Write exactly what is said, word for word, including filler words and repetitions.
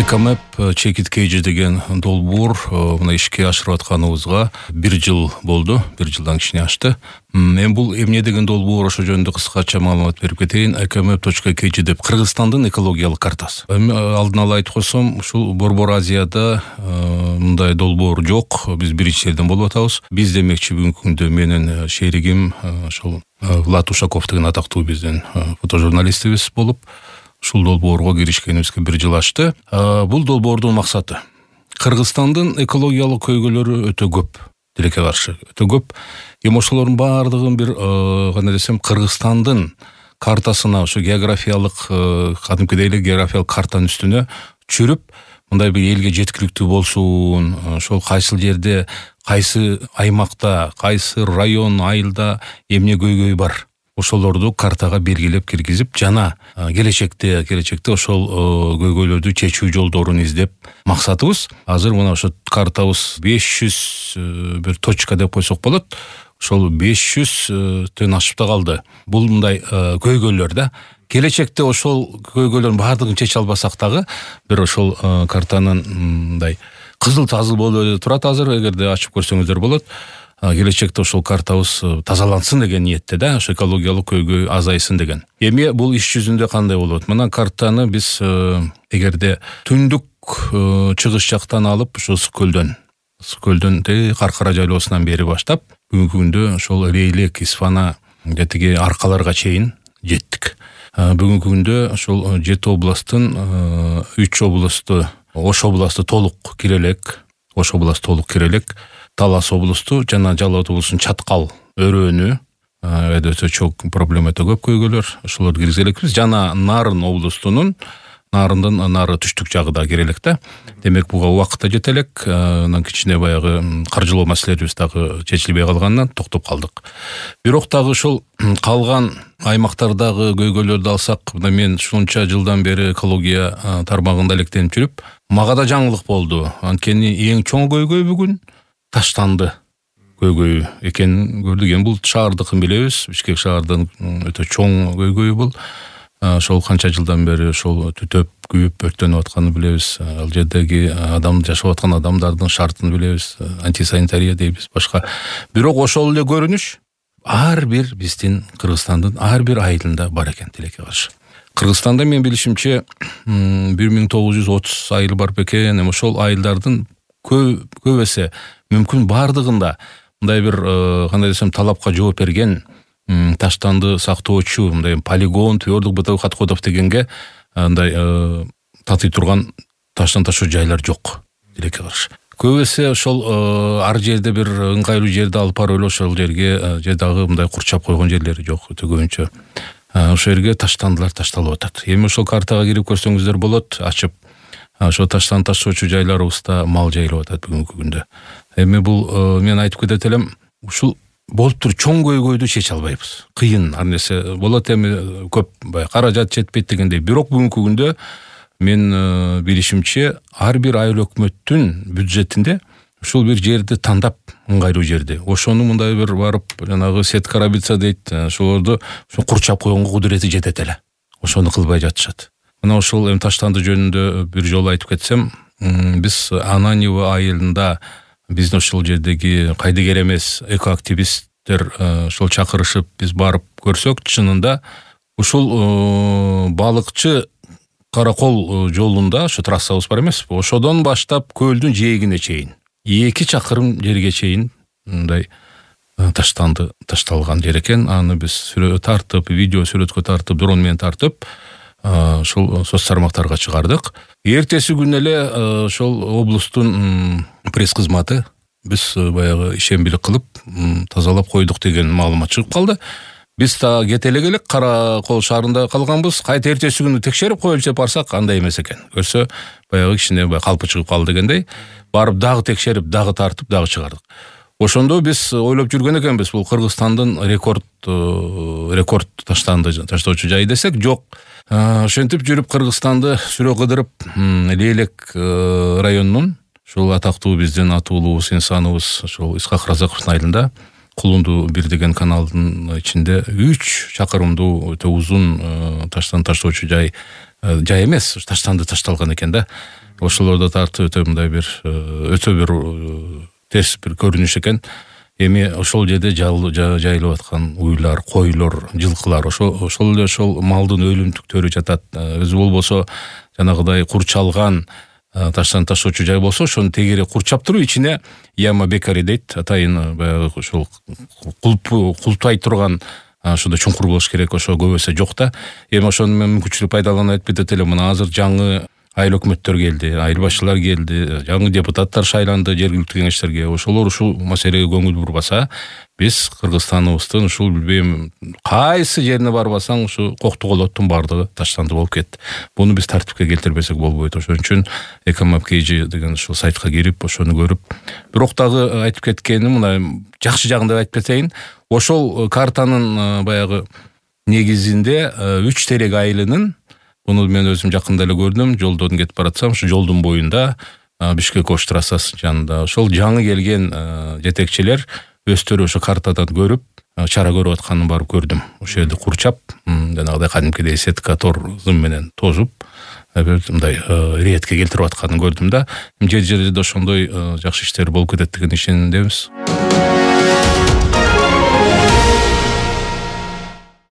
Экомэп Чекит Кейджи деген долбоор мына ишке ашырып атканыбызга бир жыл болду. бир жылдан кичине ашты. Мен бул эмне деген долбоор ошо жөнүндө кыскача маалымат берип кетейин. экомэп точка кей джи деп Кыргызстандын экологиялык картасы. Алдын ала айтып койсом, ушул Борбор Азияда мындай долбоор жок. Биз биринчилерден болуп атабыз. Биз демекчи бүгүнкү күндө менин шеригим ошол Влад Ушаков деген атактуу биздин фотожурналистибиз болуп ушул долбоорго киришкенибизге бир жыл ашты. Бул долбоордун максаты Кыргызстандын экологиялык көйгөйлөрү өтө көп, тилекке каршы өтө көп. Эми ошолордун баардыгын бир кандай десем, Кыргызстандын картасына, ошо географиялык кадимкидей эле географиялык картанын үстүнө түшүрүп, мындай бир элге жеткиликтүү болсун, ошол кайсыл жерде, кайсы аймакта, кайсы район, айылда эмне көйгөй бар, ошолорду картага белгилеп киргизип, жана келечекте келечекте ошол көйгөйлөрдү чечүү жолдорун издеп максатыбыз. Азыр мына ошо картабыз беш жүз бир точка деп койсок болот. Ошол беш жүздөн ашып да калды. Бул мындай көйгөйлөр да. Келечекте ошол көйгөйлөрдүн баардыгын чече албасак дагы, бир ошол картанын мындай кызыл тазыл болуп эле турат азыр, эгерде ачып көрсөңүздөр болот. Келечекте ошол картабыз тазалансын деген ниетте да, ошо экологиялык көйгөй азайсын деген. Эми бул иш жүзүндө кандай болот? Мына картаны биз эгерде түндүк чыгыш жактан алып, ошо Ысык-Көлдөн, Ысык-Көлдөн Каркара жайлоосунан бери баштап, бүгүнкү күндө ошол Рейлек, Исфана, тиги аркаларга чейин жеттик. Бүгүнкү күндө ошол жети областтын үч областты, Ош областы толук кирелек, Ош областы толук кирелек. Талас областу жана Жалал абад облусунун Чаткал, Өрөөнү өтө чоң проблема, өтө көп көйгөйлөр, ошолорду киргизелекпиз. Жана Нарын областунун, Нарындын нары түштүк жагы да кирелек да. Демек буга убакыт да жетелек. Анан кичине баягы каржылоо маселелерибиз дагы чечилбей калгандан токтоп калдык. Бирок дагы ушул калган аймактардагы көйгөйлөрдү алсак, мына мен ушунча жылдан бери экология тармагында электенип жүрүп, мага да жаңылык болду. Анткени эң чоң көйгөй бүгүн Таштанды көйгөйү экенин көрдүк. Эми бул шаардыкын билебиз, Бишкек шаардын өтө чоң көйгөйү бул. Ошол канча жылдан бери ошол түтөп, күйүп, өрттөнүп атканын билебиз. Ал жердеги адам жашап аткан адамдардын шартын билебиз. Антисанитария дейбиз, башка. Бирок ошол эле көрүнүш ар бир биздин Кыргызстандын ар бир айылында бар экен, тилекке каршы. Кыргызстанда мен билишимче бир миң тогуз жүз отуз айыл бар бекен. Эми ошол айылдардын көп эсе мүмкүн бардыгында мындай бир кандай десем талапка жооп берген, Таштанды сактоочу мындай полигон, твердых бытовых отходов дегенге мындай татый турган таштан ташоо жайлар жок, тилекке каршы. Көп эсе ошол ар жерде бир ыңгайлуу жерде алып барып эле ошол жерге же дагы мындай курчап койгон жерлери жок, өтө көбүнчө. Ошол жерге таштандылар ташталып атат. Эми ошол картага кирип көрсөңүздөр болот, ачып. Ошо таштан ташоочу жайларыбызда мал жайылып атат бүгүнкү күндө. Эми бул мен айтып кетет элем, ушул болуп туруп чоң көйгөйдү чече албайбыз. Кыйын, ар нерсе болот, эми көп баягы каражат жетпейт дегендей. Бирок бүгүнкү күндө мен билишимче ар бир айыл өкмөттүн бюджетинде ушул бир жерди тандап, ыңгайлуу жерди, ошону мындай бир барып жанагы сетка рабица дейт, ошолорду курчап койгонго кудурети жетет эле. Ошону кылбай жатышат. Мына ошол эми Таштанды жөнүндө бир жолу айтып кетсем, биз Ананьево айылында биздин ошол жердеги кайдыгер эмес экоактивисттер ошол чакырышып биз барып көрсөк, чынында ушул балыкчы Каракол жолунда, ошо трассабыз бар эмеспи, ошодон баштап көлдүн жээгине чейин эки чакырым жерге чейин мындай таштанды ташталган жер экен. Аны биз сүрөт тартып, видео сүрөткө тартып, дрон менен тартып ошол соц тармактарга чыгардык. Эртеси күнү эле ошол облустун пресс кызматы биз баягы ишембилик кылып тазалап койдук деген маалымат чыгып калды. Биз та кете эле келек, Каракол шаарында калганбыз. Кайта эртеси күнү текшерип коелучу деп барсак, андай эмес экен. Көрсө, баягы кичине калпы чыгып калды дегендей. Барып дагы текшерип, дагы тартып, дагы чыгардык. Ошондо биз ойлоп жүргөн экенбиз, бул Кыргызстандын рекорд рекорд таштанды таштоочу жайы десек, жок. Ошентип жүрүп Кыргызстанды сүрө кыдырып, Рейлек районунун ушул атактуу биздин атуулубуз, инсаныбыз ошол Исхак Разаковдун айылында Кулунду бир деген каналдын ичинде үч чакырымдуу өтө узун таштан таштоочу жай жай эмес, таштанды ташталган экен да. ошолордо тартып өтө мындай бир өтө бир терс бир көрүнүш экен. Эми ошол жерде жайылып аткан уйлар, койлор, жылкылар ошо ошол эле ошол малдын өлүмтүктөрү жатат. Өзү болбосо жанагыдай курчалган таштан ташоочу жай болсо ошону тегере курчап туруп ичине яма бекари дейт. Атайын баягы ошол кулпай турган ошондой чуңкур болуш керек. Ошо көбөсө жок да. Эми ошону мен мүмкүнчүлүк пайдаланып айтып эле, мына азыр жаңы айыл өкмөттөр келди, айыл башчылар келди, жаңы депутаттар шайланды жергиликтүү кеңештерге. Ошолор ушул маселеге көңүл бурбаса, биз Кыргызстаныбыздын ушул билбейм кайсы жерине барбасаң ушу коктуголоттун бардыгы таштанды болуп кетти. Буну биз тартипке келтирбесек болбойт. Ошон үчүн Экомап Кейжи деген ушул сайтка кирип, ошону көрүп, бирок дагы айтып кеткеним мына жакшы жагын деп айтып кетейин. Ошол картанын баягы негизинде үч терек айылынын, буну мен өзүм жакында эле көрдүм, жолдон кетип баратсам, ушу жолдун боюнда Бишкек Ош трассасы жанында ошол жаңы келген жетекчилер өздөрү ошо картадан көрүп, чара көрүп атканын барып көрдүм. Ошол жерди курчап, жанагыдай кадимкидей сетка торзун менен тожуп, мындай ретке келтирип атканын көрдүм да. Жер жерде ошондой жакшы иштер болуп кетет деген ишенимдебиз.